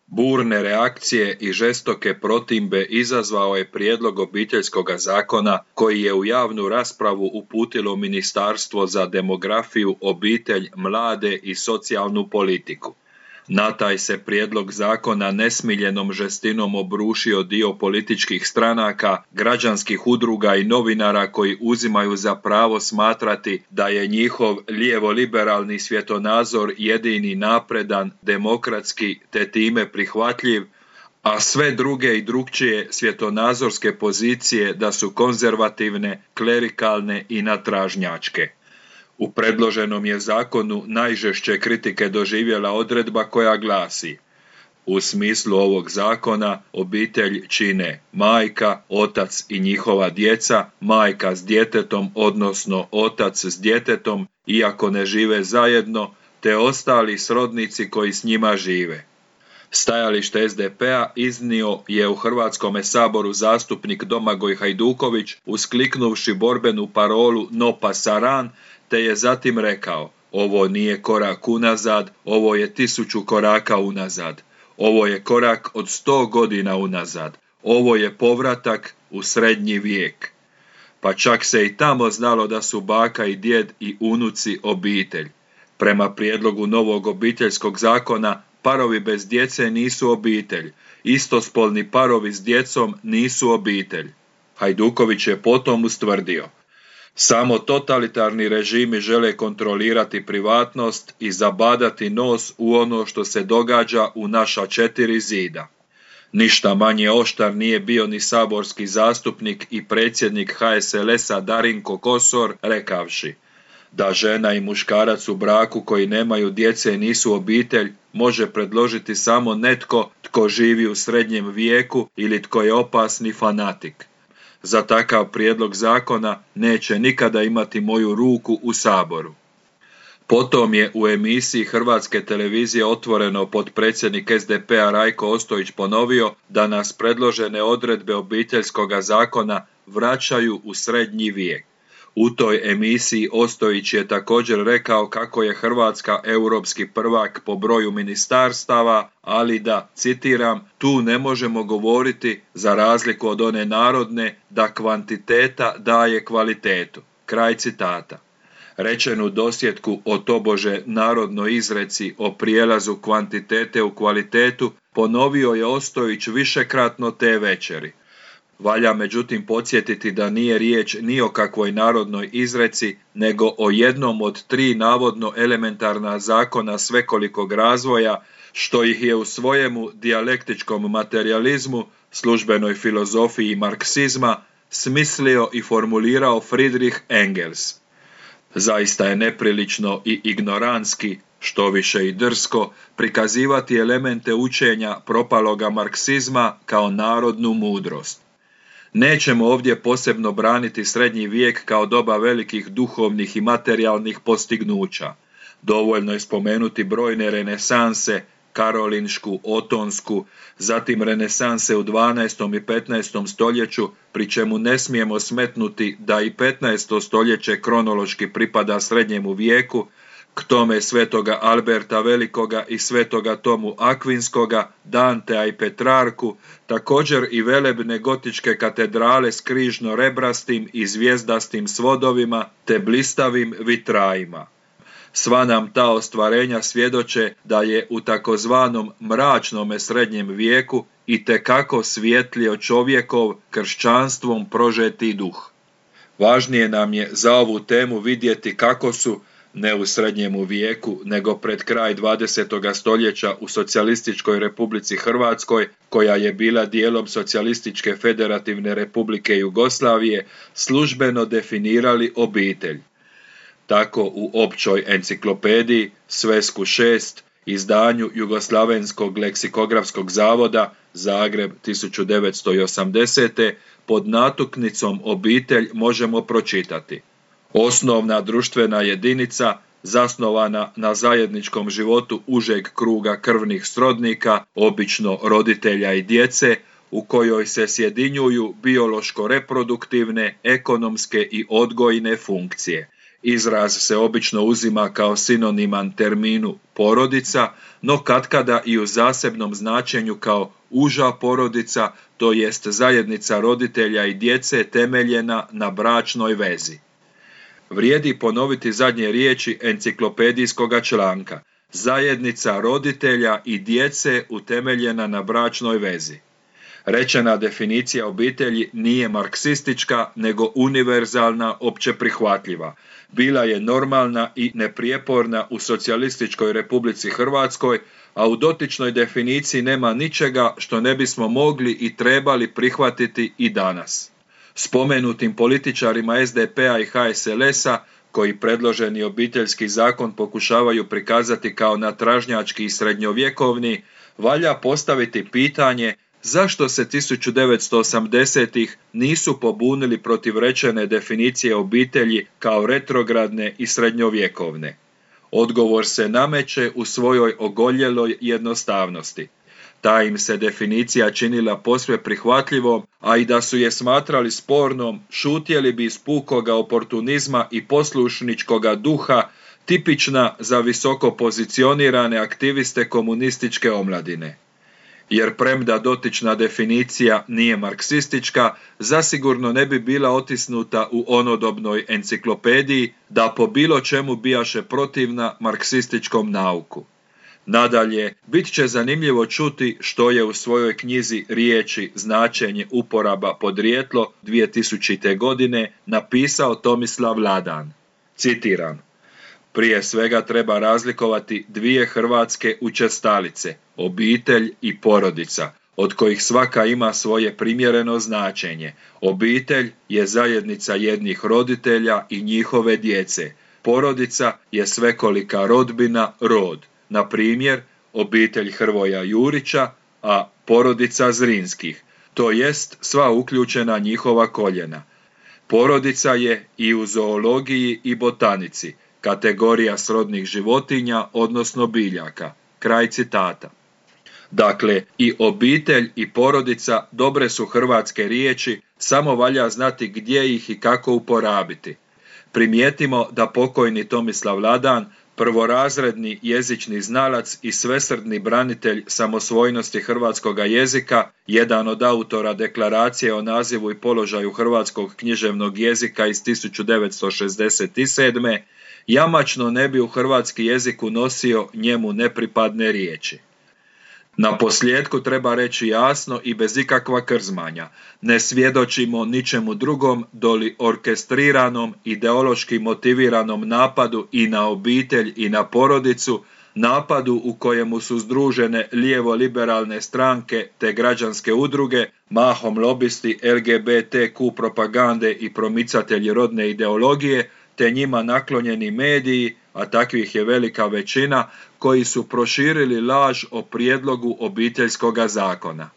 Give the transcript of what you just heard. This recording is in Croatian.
Burne reakcije i žestoke protimbe izazvao je prijedlog Obiteljskog zakona koji je u javnu raspravu uputilo Ministarstvo za demografiju, obitelj, mlade i socijalnu politiku. Na taj se prijedlog zakona nesmiljenom žestinom obrušio dio političkih stranaka, građanskih udruga i novinara koji uzimaju za pravo smatrati da je njihov lijevo-liberalni svjetonazor jedini napredan, demokratski te time prihvatljiv, a sve druge i drukčije svjetonazorske pozicije da su konzervativne, klerikalne i natražnjačke. U predloženom je zakonu najžešće kritike doživjela odredba koja glasi: u smislu ovog zakona obitelj čine majka, otac i njihova djeca, majka s djetetom odnosno otac s djetetom iako ne žive zajedno, te ostali srodnici koji s njima žive. Stajalište SDP-a iznio je u Hrvatskome saboru zastupnik Domagoj Hajduković uskliknuvši borbenu parolu No pasaran, te je zatim rekao: ovo nije korak unazad, ovo je 1000 koraka unazad. Ovo je korak od 100 godina unazad. Ovo je povratak u srednji vijek. Pa čak se i tamo znalo da su baka i djed i unuci obitelj. Prema prijedlogu novog Obiteljskog zakona, parovi bez djece nisu obitelj. Istospolni parovi s djecom nisu obitelj. Hajduković je potom ustvrdio: samo totalitarni režimi žele kontrolirati privatnost i zabadati nos u ono što se događa u naša 4 zida. Ništa manje oštar nije bio ni saborski zastupnik i predsjednik HSLS-a Darinko Kosor, rekavši: da žena i muškarac u braku koji nemaju djece nisu obitelj može predložiti samo netko tko živi u srednjem vijeku ili tko je opasni fanatik. Za takav prijedlog zakona neće nikada imati moju ruku u Saboru. Potom je u emisiji Hrvatske televizije Otvoreno potpredsjednik SDP-a Rajko Ostojić ponovio da nas predložene odredbe Obiteljskog zakona vraćaju u srednji vijek. U toj emisiji Ostojić je također rekao kako je Hrvatska europski prvak po broju ministarstava, ali da, citiram, tu ne možemo govoriti, za razliku od one narodne, da kvantiteta daje kvalitetu. Kraj citata. Rečenu dosjetku o tobože narodnoj izreci o prijelazu kvantitete u kvalitetu ponovio je Ostojić višekratno te večeri. Valja međutim podsjetiti da nije riječ ni o kakvoj narodnoj izreci, nego o jednom od 3 navodno elementarna zakona svekolikog razvoja, što ih je u svojemu dijalektičkom materijalizmu, službenoj filozofiji marksizma, smislio i formulirao Friedrich Engels. Zaista je neprilično i ignorantski, štoviše i drsko, prikazivati elemente učenja propaloga marksizma kao narodnu mudrost. Nećemo ovdje posebno braniti srednji vijek kao doba velikih duhovnih i materijalnih postignuća. Dovoljno je spomenuti brojne renesanse, karolinšku, otonsku, zatim renesanse u 12. i 15. stoljeću, pri čemu ne smijemo smetnuti da i 15. stoljeće kronološki pripada srednjemu vijeku, k tome svetoga Alberta Velikoga i svetoga Tomu Akvinskoga, Dantea i Petrarku, također i velebne gotičke katedrale s križno-rebrastim i zvijezdastim svodovima te blistavim vitrajima. Sva nam ta ostvarenja svjedoče da je u takozvanom mračnome srednjem vijeku itekako svijetlio čovjekov kršćanstvom prožeti duh. Važnije nam je za ovu temu vidjeti kako su, ne u srednjemu vijeku, nego pred kraj 20. stoljeća u Socijalističkoj Republici Hrvatskoj, koja je bila dijelom Socijalističke Federativne Republike Jugoslavije, službeno definirali obitelj. Tako u općoj enciklopediji Svesku 6, izdanju Jugoslavenskog leksikografskog zavoda, Zagreb 1980. pod natuknicom obitelj možemo pročitati: osnovna društvena jedinica zasnovana na zajedničkom životu užeg kruga krvnih srodnika, obično roditelja i djece, u kojoj se sjedinjuju biološko-reproduktivne, ekonomske i odgojne funkcije. Izraz se obično uzima kao sinoniman terminu porodica, no katkada i u zasebnom značenju kao uža porodica, to jest zajednica roditelja i djece temeljena na bračnoj vezi. Vrijedi ponoviti zadnje riječi enciklopedijskoga članka. Zajednica roditelja i djece utemeljena na bračnoj vezi. Rečena definicija obitelji nije marksistička, nego univerzalna, opće prihvatljiva. Bila je normalna i neprijeporna u socijalističkoj Republici Hrvatskoj, a u dotičnoj definiciji nema ničega što ne bismo mogli i trebali prihvatiti i danas. Spomenutim političarima SDP-a i HSLS-a, koji predloženi obiteljski zakon pokušavaju prikazati kao natražnjački i srednjovjekovni, valja postaviti pitanje zašto se 1980-ih nisu pobunili protiv rečene definicije obitelji kao retrogradne i srednjovjekovne. Odgovor se nameće u svojoj ogoljeloj jednostavnosti. Ta im se definicija činila posve prihvatljivom, a i da su je smatrali spornom, šutjeli bi iz pukoga oportunizma i poslušničkoga duha, tipična za visoko pozicionirane aktiviste komunističke omladine. Jer premda dotična definicija nije marksistička, zasigurno ne bi bila otisnuta u onodobnoj enciklopediji da po bilo čemu bijaše protivna marksističkom nauku. Nadalje, bit će zanimljivo čuti što je u svojoj knjizi Riječi, značenje, uporaba, podrijetlo 2000. godine napisao Tomislav Ladan. Citiram: prije svega treba razlikovati dvije hrvatske učestalice, obitelj i porodica, od kojih svaka ima svoje primjereno značenje. Obitelj je zajednica jednih roditelja i njihove djece. Porodica je svekolika rodbina, rod. Na primjer, obitelj Hrvoja Jurića, a porodica Zrinskih, to jest sva uključena njihova koljena. Porodica je i u zoologiji i botanici kategorija srodnih životinja, odnosno biljaka. Kraj citata. Dakle, i obitelj i porodica dobre su hrvatske riječi, samo valja znati gdje ih i kako uporabiti. Primijetimo da pokojni Tomislav Ladan, prvorazredni jezični znalac i svesrdni branitelj samosvojnosti hrvatskoga jezika, jedan od autora deklaracije o nazivu i položaju hrvatskog književnog jezika iz 1967. jamačno ne bi u hrvatski jezik unosio njemu nepripadne riječi. Na posljedku treba reći jasno i bez ikakva krzmanja, ne svjedočimo ničemu drugom doli orkestriranom, ideološki motiviranom napadu i na obitelj i na porodicu, napadu u kojemu su združene lijevo-liberalne stranke te građanske udruge, mahom lobisti LGBTQ propagande i promicatelji rodne ideologije, te njima naklonjeni mediji, a takvih je velika većina, koji su proširili laž o prijedlogu obiteljskoga zakona.